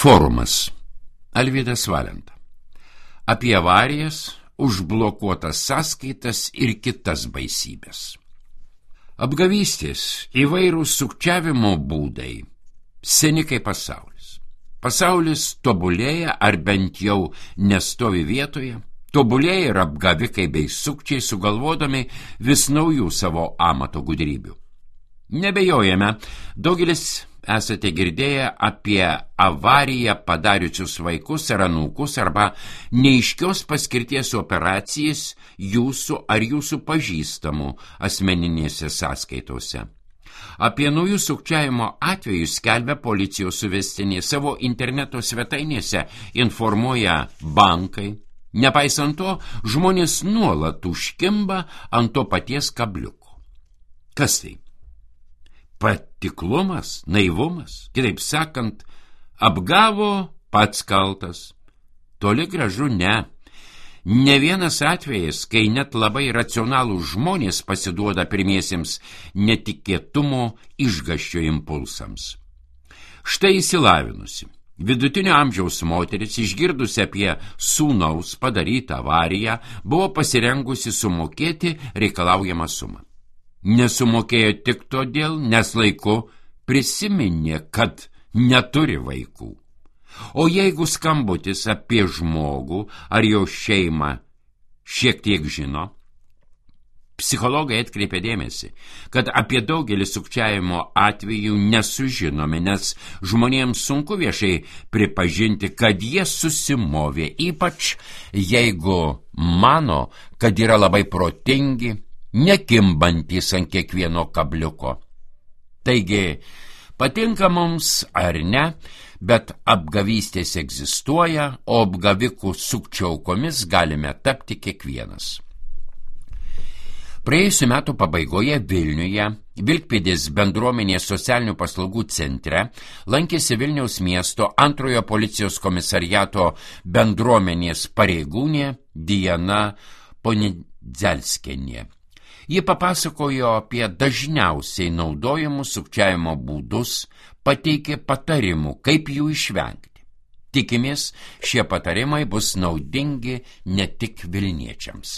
Forumas. Alvydas Valenta. Apie avarijas, užblokuotas sąskaitas ir kitas baisybės. Apgavystės, įvairūs sukčiavimo būdai, seni kaip pasaulis. Pasaulis tobulėja ar bent jau nestovi vietoje, tobulėja ir apgavikai bei sukčiai sugalvodami vis naujų savo amato gudrybių. Nebejojame, daugelis esate girdėję apie avariją padariusius vaikus ar anūkus arba neaiškios paskirties operacijas jūsų ar jūsų pažįstamų asmeninėse sąskaitose. Apie naujų sukčiavimo atvejus skelbia policijos suvestinė, savo interneto svetainėse informuoja bankai. Nepaisant to, žmonės nuolat užkimba ant to paties kabliuko. Kas tai? Patiklumas, naivumas, kitaip sakant, apgavo pats kaltas. Toli gražu ne. Ne vienas atvejis, kai net labai racionalūs žmonės pasiduoda pirmiesiems netikėtumo išgąsčio impulsams. Štai išsilavinusi, vidutinio amžiaus moteris, išgirdusi apie sūnaus padarytą avariją, buvo pasirengusi sumokėti reikalaujamą sumą. Nesumokėjo tik todėl, nes laiku prisiminė, kad neturi vaikų. O jeigu skambutis apie žmogų ar jo šeimą šiek tiek žino, psichologai atkreipė dėmesį, kad apie daugelį sukčiavimo atvejų nesužinome, nes žmonėms sunku viešai pripažinti, kad jie susimovė, ypač jeigu mano, kad yra labai protingi, nekimbantis ant kiekvieno kabliuko. Taigi, patinka mums ar ne, bet apgavystės egzistuoja, o apgavikų sukčių aukomis galime tapti kiekvienas. Praėjusių metų pabaigoje Vilniuje, Vilkpėdės bendruomenės socialinių paslaugų centre, lankėsi Vilniaus miesto antrojo policijos komisariato bendruomenės pareigūnė Diana Ponidzelskienė. Ji papasakojo apie dažniausiai naudojamus sukčiavimo būdus, pateikė patarimų, kaip jų išvengti. Tikimės, šie patarimai bus naudingi ne tik vilniečiams.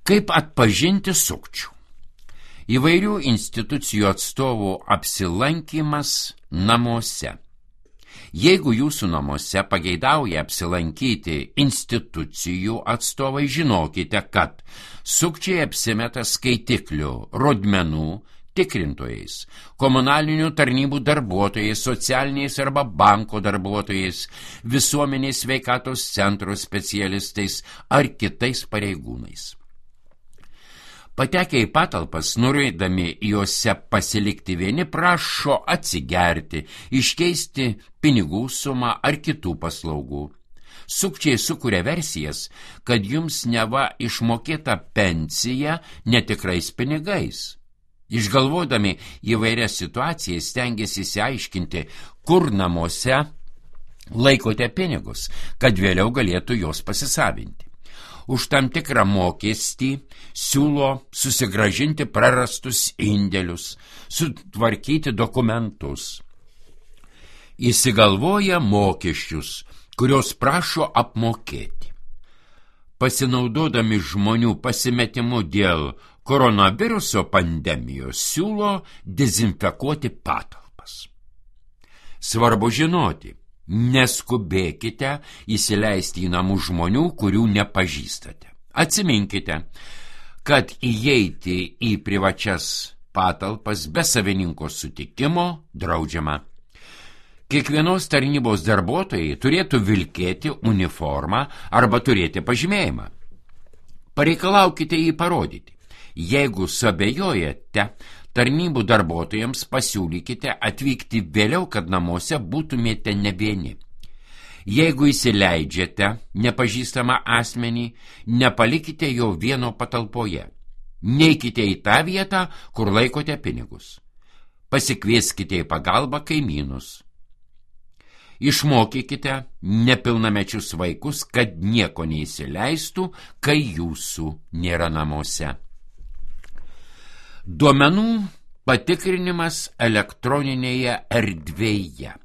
Kaip atpažinti sukčių? Įvairių institucijų atstovų apsilankymas namuose. Jeigu jūsų namuose pageidauja apsilankyti institucijų atstovai, žinokite, kad sukčiai apsimeta skaitiklių, rodmenų tikrintojais, komunalinių tarnybų darbuotojais, socialiniais arba banko darbuotojais, visuomenės sveikatos centro specialistais ar kitais pareigūnais. Patekę į patalpas, norėdami juose pasilikti vieni, prašo atsigerti, iškeisti pinigų sumą ar kitų paslaugų. Sukčiai sukuria versijas, kad jums neva išmokėta pensija netikrais pinigais. Išgalvodami įvairias situacijas stengiasi išsiaiškinti, kur namuose laikote pinigus, kad vėliau galėtų juos pasisavinti. Už tam tikrą mokestį siūlo susigrąžinti prarastus indėlius, sutvarkyti dokumentus. Įsigalvoja mokesčius, kurios prašo apmokėti. Pasinaudodami žmonių pasimetimu dėl koronaviruso pandemijos, siūlo dezinfekuoti patalpas. Svarbu žinoti, neskubėkite įsileisti į namų žmonių, kurių nepažįstate. Atsiminkite, kad įeiti į privačias patalpas be savininko sutikimo draudžiama. Kiekvienos tarnybos darbuotojai turėtų vilkėti uniformą arba turėti pažymėjimą. Pareikalaukite jį parodyti. Jeigu suabejojate, tarnybų darbuotojams pasiūlykite atvykti vėliau, kad namuose būtumėte ne vieni. Jeigu įsileidžiate nepažįstamą asmenį, nepalikite jo vieno patalpoje. Neikite į tą vietą, kur laikote pinigus. Pasikvieskite į pagalbą kaimynus. Išmokykite nepilnamečius vaikus, kad nieko neįsileistų, kai jūsų nėra namuose. Duomenų patikrinimas elektroninėje erdvėje.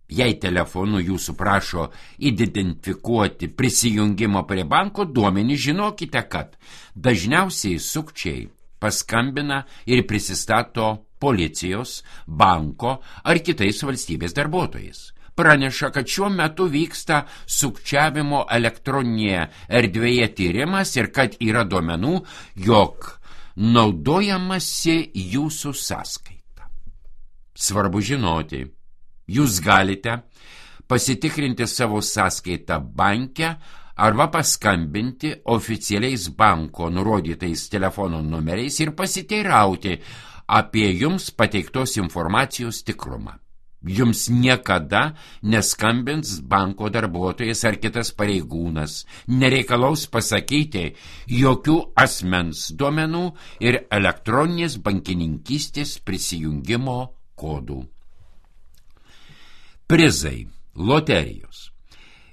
Jei telefonu jūsų prašo identifikuoti prisijungimo prie banko duomenį, žinokite, kad dažniausiai sukčiai paskambina ir prisistato policijos, banko ar kitais valstybės darbuotojais. Praneša, kad šiuo metu vyksta sukčiavimo elektroninėje erdvėje tyrimas ir kad yra duomenų, jog naudojamasi jūsų sąskaita. Svarbu žinoti, jūs galite pasitikrinti savo sąskaitą banke arba paskambinti oficialiais banko nurodytais telefono numeriais ir pasiteirauti apie jums pateiktos informacijos tikrumą. Jums niekada neskambins banko darbuotojas ar kitas pareigūnas, nereikalaus pasakyti jokių asmens duomenų ir elektroninės bankininkystės prisijungimo kodų. Prizai, loterijos.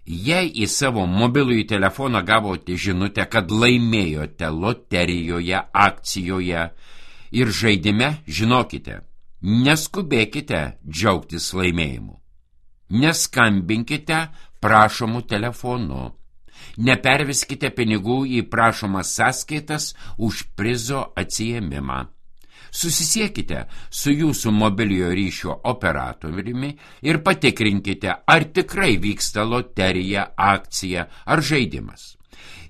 Jei į savo mobilųjį telefoną gavote žinutę, kad laimėjote loterijoje, akcijoje ir žaidime, žinokite, neskubėkite džiaugtis laimėjimu. Neskambinkite prašomų telefonu. Neperveskite pinigų į prašomas sąskaitas už prizo atsiėmimą. Susisiekite su jūsų mobiliojo ryšio operatoriumi ir patikrinkite, ar tikrai vyksta loterija, akcija ar žaidimas.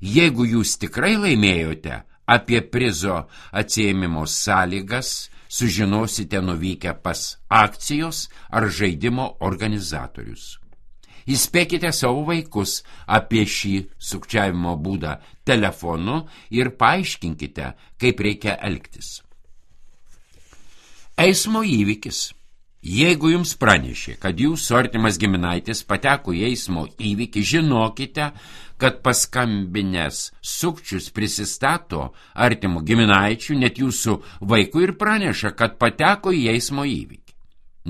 Jeigu jūs tikrai laimėjote, apie prizo atsiėmimo sąlygas sužinosite nuvykę pas akcijos ar žaidimo organizatorius. Įspėkite savo vaikus apie šį sukčiavimo būdą telefonu ir paaiškinkite, kaip reikia elgtis. Eismo įvykis. Jeigu jums pranešė, kad jūsų artimas giminaitis pateko į eismo įvykį, žinokite, kad paskambinęs sukčius prisistato artimų giminaičių, net jūsų vaikų ir praneša, kad pateko į eismo įvykį.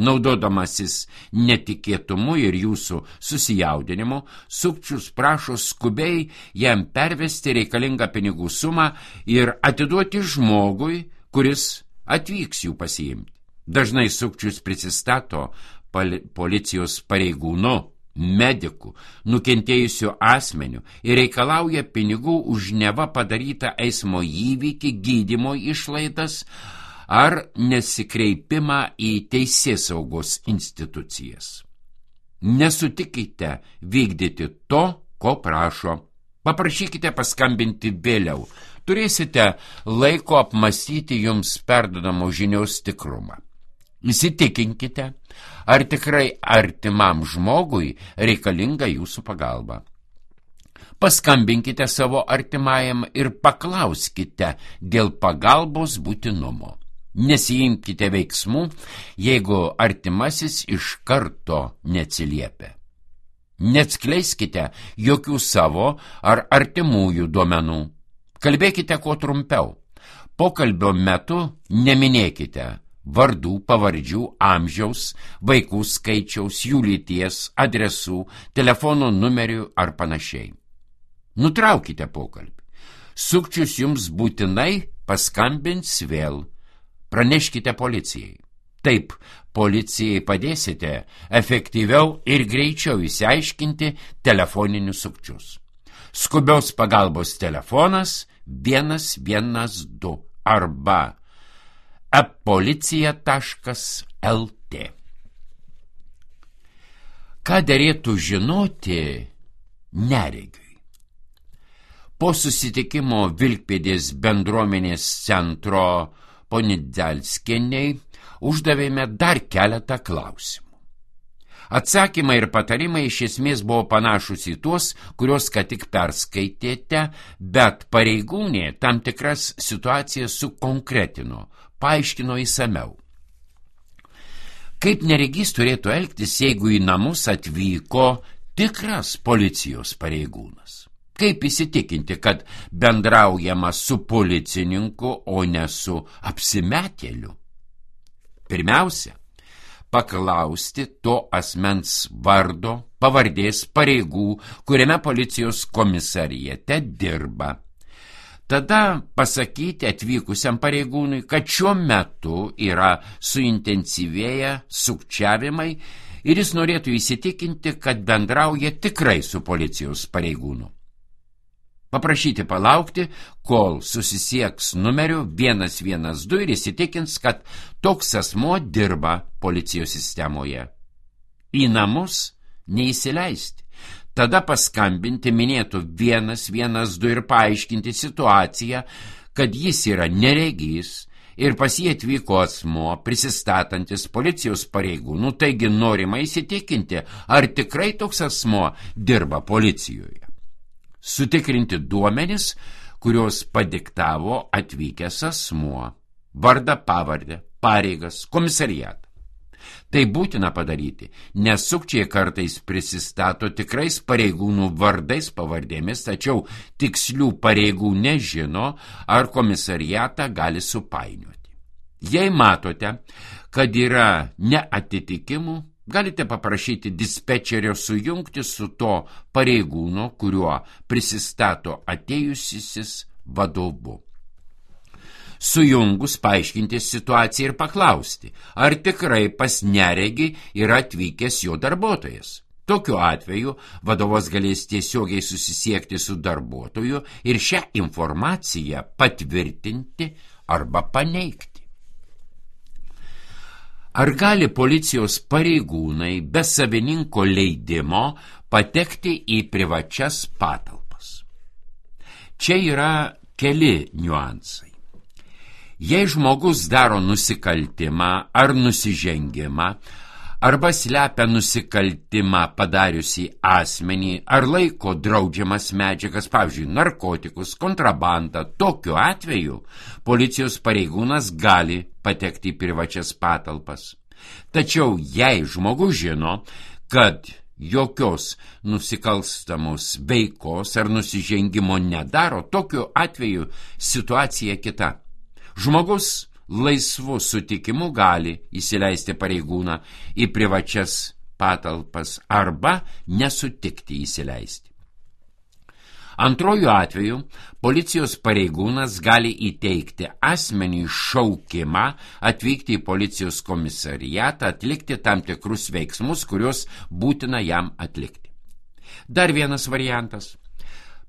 Naudodamasis netikėtumu ir jūsų susijaudinimu, sukčius prašo skubiai jam pervesti reikalingą pinigų sumą ir atiduoti žmogui, kuris atvyks jų pasiimti. Dažnai sukčius prisistato policijos pareigūnu, mediku, nukentėjusiu asmeniu ir reikalauja pinigų už neva padarytą eismo įvykį, gydymo išlaidas ar nesikreipimą į teisėsaugos institucijas. Nesutikite vykdyti to, ko prašo. Paprašykite paskambinti vėliau. Turėsite laiko apmąstyti jums perdodamo žinios tikrumą. Įsitikinkite, ar tikrai artimam žmogui reikalinga jūsų pagalba. Paskambinkite savo artimajam ir paklauskite dėl pagalbos būtinumo. Nesiimkite veiksmų, jeigu artimasis iš karto neatsiliepia. Neatskleiskite jokių savo ar artimųjų duomenų. Kalbėkite kuo trumpiau. Pokalbio metu neminėkite vardų, pavardžių, amžiaus, vaikų skaičiaus, jų lyties, adresų, telefono numerių ar panašiai. Nutraukite pokalbį. Sukčius jums būtinai paskambins vėl. Praneškite policijai. Taip, policijai padėsite efektyviau ir greičiau išsiaiškinti telefoninius sukčius. Skubios pagalbos telefonas 112 arba epolicija.lt. Ką derėtų žinoti neregiui? Po susitikimo Vilkpėdės bendruomenės centro Ponidelskienei uždavėme dar keletą klausimų. Atsakymai ir patarimai iš esmės buvo panašus į tuos, kuriuos ką tik perskaitėte, bet pareigūnė tam tikras situacijas sukonkretino, paaiškino įsamiau. Kaip neregys turėtų elgtis, jeigu į namus atvyko tikras policijos pareigūnas? Kaip įsitikinti, kad bendraujama su policininku, o ne su apsimetėliu? Pirmiausia, paklausti to asmens vardo, pavardės, pareigų, kuriame policijos komisariate dirba. Tada pasakyti atvykusiam pareigūnui, kad šiuo metu yra suintensyvėję sukčiavimai ir jis norėtų įsitikinti, kad bendrauja tikrai su policijos pareigūnu. Paprašyti palaukti, kol susisieks numeriu 112 ir įsitikins, kad toks asmuo dirba policijos sistemoje. Į namus neįsileisti. Tada paskambinti minėtų 112 ir paaiškinti situaciją, kad jis yra neregys ir pas jį atvyko asmuo prisistatantis policijos pareigūnų, taigi norima įsitikinti, ar tikrai toks asmuo dirba policijoje. Sutikrinti duomenis, kurios padiktavo atvykęs asmuo, vardą, pavardę, pareigas, komisariatą. Tai būtina padaryti, nes sukčiai kartais prisistato tikrais pareigūnų vardais, pavardėmis, tačiau tikslių pareigų nežino, ar komisariatą gali supainioti. Jei matote, kad yra neatitikimų, galite paprašyti dispečerio sujungti su to pareigūno, kuriuo prisistato atėjusysis vadovu. Sujungus paaiškinti situaciją ir paklausti, ar tikrai pas neregį yra atvykęs jo darbuotojas. Tokiu atveju vadovas galės tiesiogiai susisiekti su darbuotoju ir šią informaciją patvirtinti arba paneigti. Ar gali policijos pareigūnai be savininko leidimo patekti į privačias patalpas? Čia yra keli niuansai. Jei žmogus daro nusikaltimą ar nusižengimą, arba slepia nusikaltimą padariusį asmenį, ar laiko draudžiamas medžiagas, pavyzdžiui, narkotikus, kontrabandą, tokiu atveju policijos pareigūnas gali patekti į privačias patalpas. Tačiau jei žmogus žino, kad jokios nusikalstamos veikos ar nusižengimo nedaro, tokiu atveju situacija kita. Žmogus laisvu sutikimu gali įsileisti pareigūną į privačias patalpas arba nesutikti įsileisti. Antroju atveju policijos pareigūnas gali įteikti asmeniui šaukimą atvykti į policijos komisariatą, atlikti tam tikrus veiksmus, kuriuos būtina jam atlikti. Dar vienas variantas.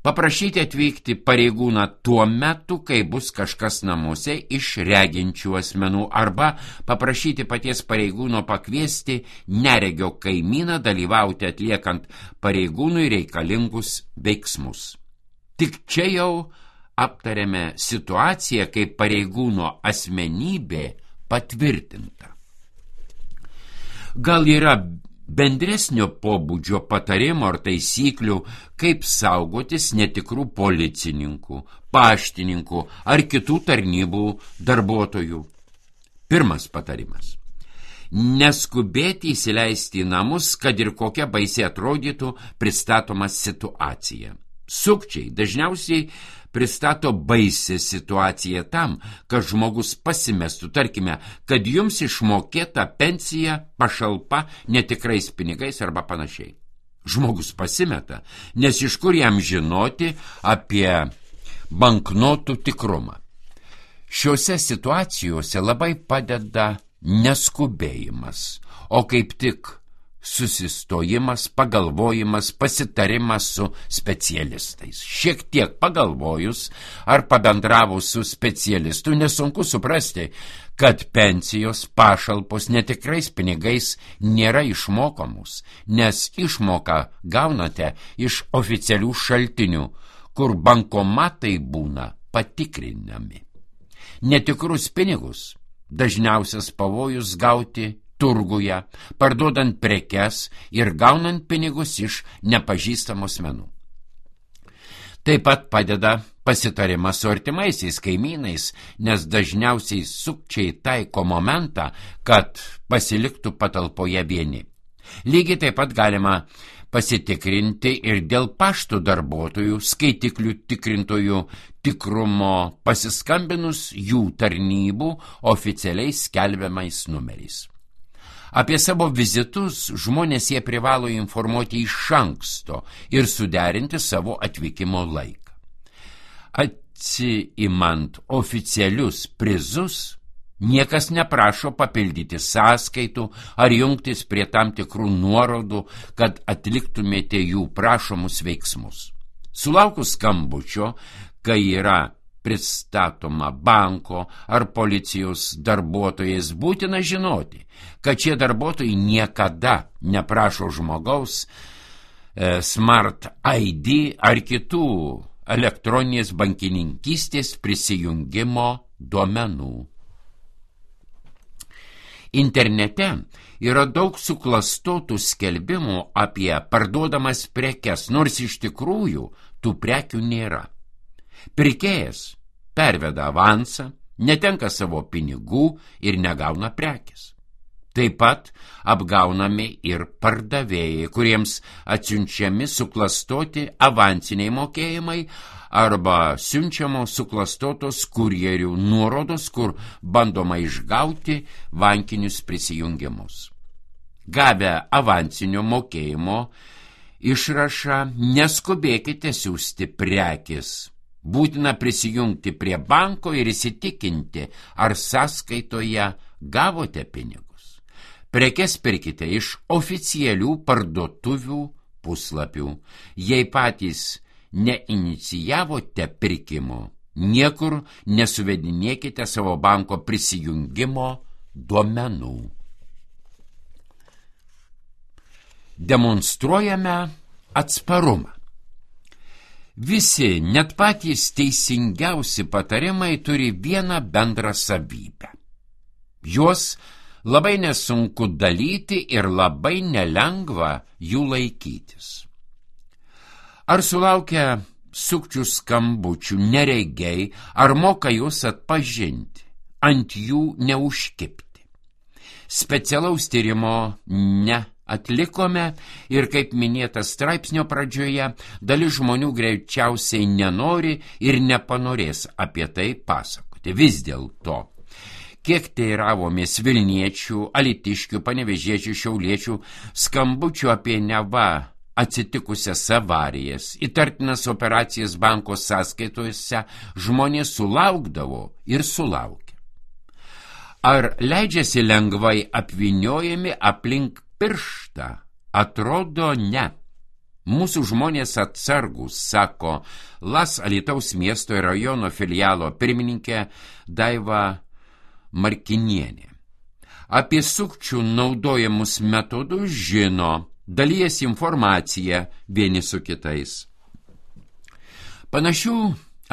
Paprašyti atvykti pareigūną tuo metu, kai bus kažkas namuose iš reginčių asmenų, arba paprašyti paties pareigūno pakviesti neregio kaimyną dalyvauti atliekant pareigūnui reikalingus veiksmus. Tik čia jau aptarėme situaciją, kai pareigūno asmenybė patvirtinta. Gal yra bendresnio pobūdžio patarimų ar taisyklių, kaip saugotis netikrų policininkų, paštininkų ar kitų tarnybų darbuotojų. Pirmas patarimas. Neskubėti įsileisti į namus, kad ir kokia baisiai atrodytų pristatoma situacija. Sukčiai dažniausiai pristato baisią situaciją tam, kad žmogus pasimestų, tarkime, kad jums išmokėta pensija, pašalpa netikrais pinigais arba panašiai. Žmogus pasimeta, nes iš kur jam žinoti apie banknotų tikrumą. Šiuose situacijose labai padeda neskubėjimas, o kaip tik susistojimas, pagalvojimas, pasitarimas su specialistais. Šiek tiek pagalvojus ar pabendravus su specialistu, nesunku suprasti, kad pensijos, pašalpos netikrais pinigais nėra išmokamos, nes išmoką gaunate iš oficialių šaltinių, kur bankomatai būna patikrinami. Netikrus pinigus dažniausias pavojus gauti turguje, parduodant prekes ir gaunant pinigus iš nepažįstamų asmenų. Taip pat padeda pasitarimas su artimaisiais kaimynais, nes dažniausiai sukčiai taiko momentą, kad pasiliktų patalpoje vieni. Lygiai taip pat galima pasitikrinti ir dėl pašto darbuotojų, skaitiklių tikrintojų tikrumo pasiskambinus jų tarnybų oficialiai skelbiamais numeriais. Apie savo vizitus žmonės jie privalo informuoti iš anksto ir suderinti savo atvykimo laiką. Atsiimant oficialius prizus, Niekas neprašo papildyti sąskaitų ar jungtis prie tam tikrų nuorodų, kad atliktumėte jų prašomus veiksmus. Sulaukus skambučio, kai yra pristatoma banko ar policijos darbuotojais, būtina žinoti, kad šie darbuotojai niekada neprašo žmogaus Smart ID ar kitų elektroninės bankininkystės prisijungimo duomenų. Internete yra daug suklastotų skelbimų apie parduodamas prekes, nors iš tikrųjų tų prekių nėra. Pirkėjas perveda avansą, netenka savo pinigų ir negauna prekės. Taip pat apgaunami ir pardavėjai, kuriems atsiunčiami suklastoti avansiniai mokėjimai arba siunčiamos suklastotos kurjerių nuorodos, kur bandoma išgauti bankinius prisijungimus. Gavę avansinio mokėjimo išrašą, neskubėkite siųsti prekės. Būtina prisijungti prie banko ir įsitikinti, ar sąskaitoje gavote pinigus. Prekes pirkite iš oficialių parduotuvių puslapių. Jei patys neinicijavote pirkimo, niekur nesuvedinėkite savo banko prisijungimo duomenų. Demonstruojame atsparumą. Visi, net patys teisingiausi patarimai turi vieną bendrą savybę. Juos labai nesunku dalyti ir labai nelengva jų laikytis. Ar sulaukia sukčių skambučių neregiai, ar moka juos atpažinti, ant jų neužkibti? Specialaus tyrimo neatlikome ir, kaip minėta straipsnio pradžioje, dalis žmonių greičiausiai nenori ir nepanorės apie tai pasakoti. Vis dėlto, kiek teiravomės Vilniečių, Alytiškių, Panevėžiečių, Šiauliečių skambučių apie neva atsitikusias avarijas, įtartinas operacijas banko sąskaitose, žmonės sulaukdavo ir sulaukė. Ar leidžiasi lengvai apvyniojami aplink pirštą? Atrodo, ne. Mūsų žmonės atsargus, sako Las Alytaus miesto ir rajono filialo pirmininkė Daiva Markinienė. Apie sukčių naudojamus metodus žino, dalijasi informaciją vieni su kitais. Panašių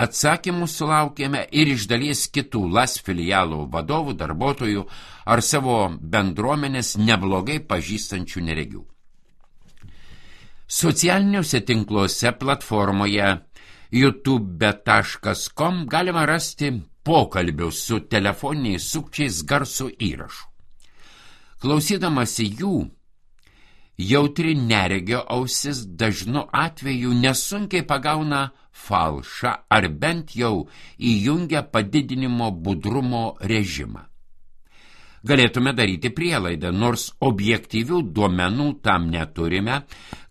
atsakymų sulaukėme ir iš dalies kitų Las filialų vadovų, darbuotojų ar savo bendruomenės neblogai pažįstančių neregių. Socialiniuose tinkluose platformoje youtube.com galima rasti pokalbių su telefoniniais sukčiais garso įrašų. Klausydamasi jų, jautri neregio ausis dažnu atveju nesunkiai pagauna falšą ar bent jau įjungia padidinimo budrumo režimą. Galėtume daryti prielaidą, nors objektyvių duomenų tam neturime,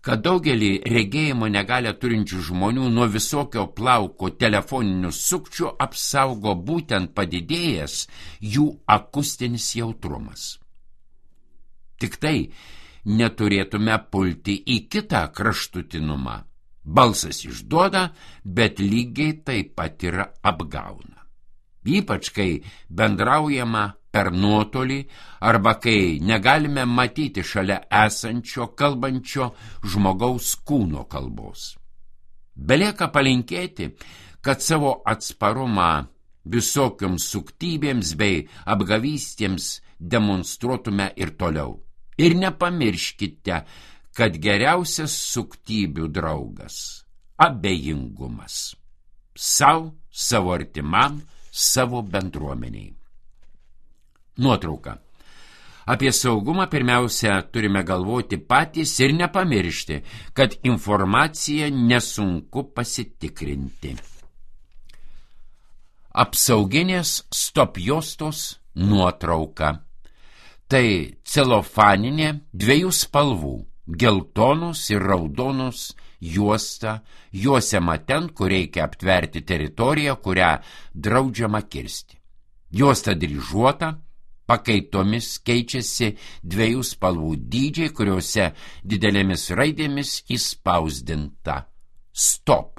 kad daugelį regėjimo negalią turinčių žmonių nuo visokio plauko telefoninių sukčių apsaugo būtent padidėjęs jų akustinis jautrumas. Tik tai neturėtume pulti į kitą kraštutinumą. Balsas išduoda, bet lygiai taip pat ir apgauna. Ypač kai bendraujama per nuotolį arba kai negalime matyti šalia esančio kalbančio žmogaus kūno kalbos. Belieka palinkėti, kad savo atsparumą visokioms suktybėms bei apgavystėms demonstruotume ir toliau. Ir nepamirškite, kad geriausias suktybių draugas – abejingumas. Savo artimam, savo bendruomeniai. Nuotrauka. Apie saugumą pirmiausia turime galvoti patys ir nepamiršti, kad informaciją nesunku pasitikrinti. Apsauginės stop-juostos nuotrauka. Tai celofaninė 2 spalvų – geltonos ir raudonos juosta, juosiama ten, kur reikia aptverti teritoriją, kurią draudžiama kirsti. Juosta dryžuota, pakaitomis keičiasi 2 spalvų dydžiai, kuriuose didelėmis raidėmis įspausdinta stop.